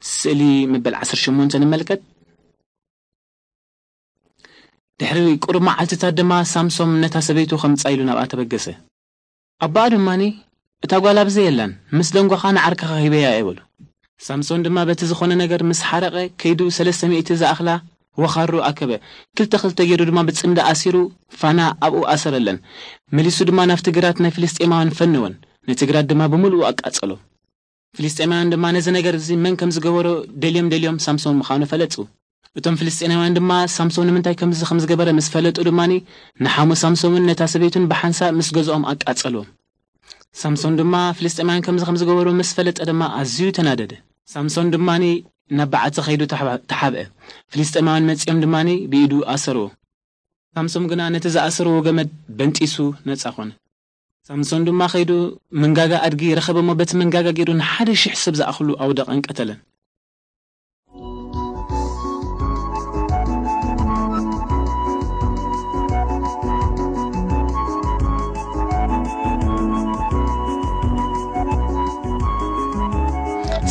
ስእሊ መበል ዓሰርተ ሸሞንተ ንመልከት። ድሕሪ ቁሩብ መዓልትታት ድማ ሳምሶም ነታ ሰበይቱ ከምጻ ኢሉ ናብኣ ተበገሰ። ኣቦኣ ድማኒ፣ "እታ ጓል ኣብዚ የላን፣ ምስ ደንጓኻ ንዓርክኻ ሂበያ እየ" በሉ። ሳምሶን ድማ በቲ ዝኾነ ነገር ምስ ሓረቐ፣ ከይዱ ሰለስተ ሚእቲ ዝኣኽላ ወኻሩ ኣከበ። ክልተ ክልተ ገይሩ ድማ ብጽምዲ ኣሲሩ ፋና ኣብኡ ኣሰረለን። መሊሱ ድማ ናብቲ ግራት ናይ ፍልስጤማውያን ፈነወን። ነቲ ግራት ድማ ብምሉኡ ኣቃጸሎ። ፍልስጤማውያን ድማ ነዚ ነገር እዚ መን ከም ዝገበሮ ደልዮም ደልዮም ሳምሶን ምዃኑ ፈለጡ። እቶም ፍልስጤማውያን ድማ ሳምሶን ንምንታይ ከምዚ ከም ዝገበረ ምስ ፈለጡ ድማኒ ንሓሙ ሳምሶንን ነታ ሰበይቱን ብሓንሳእ ምስ ገዝኦም ኣቃጸልዎም። ሳምሶን ድማ ፍልስጤማውያን ከምዚ ከም ዝገበሩ ምስ ፈለጠ ድማ ኣዝዩ ተናደደ። ሳምሶን ድማኒ ናብ በዓቲ ከይዱ ተሓባ-፣ ተሓብአ። ፍልስጤማውያን መጺኦም ድማኒ ብኢዱ ኣሰርዎ። ሳምሶን ግና ነቲ ዝኣሰርዎ ገመድ በንጢሱ ነጻ ኾነ። ሳምሶን ድማ ከይዱ መንጋጋ ኣድጊ ረኸበ እሞ በቲ መንጋጋ ገይሩ ንሓደ ሽሕ ሰብ ዝኣኽሉ ኣውደቐን ቀተለን።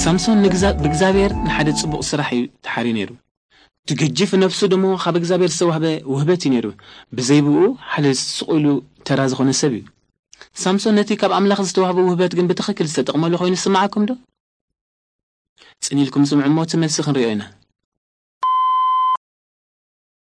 ሳምሶን ንግዛ-፣ ብእግዚኣብሔር ንሓደ ጽቡቕ ስራሕ እዩ ተሓርዩ ነይሩ። እቲ ገጂፍ ነፍሱ ደሞ ካብ እግዚኣብሔር ዝተዋህበ ውህበት እዩ ነይሩ። ብዘይ ብኡ ሓደ ስቕ ኢሉ ተራ ዝኾነ ሰብ እዩ። ሳምሶን ነቲ ካብ ኣምላኽ ዝተዋህበ ውህበት ግን ብትኽክል ዝተጠቕመሉ ኮይኑ ዝስምዓኩም ዶ? ጽን ኢልኩም ስምዑ እሞ እቲ መልሲ ክንሪኦ ኢና።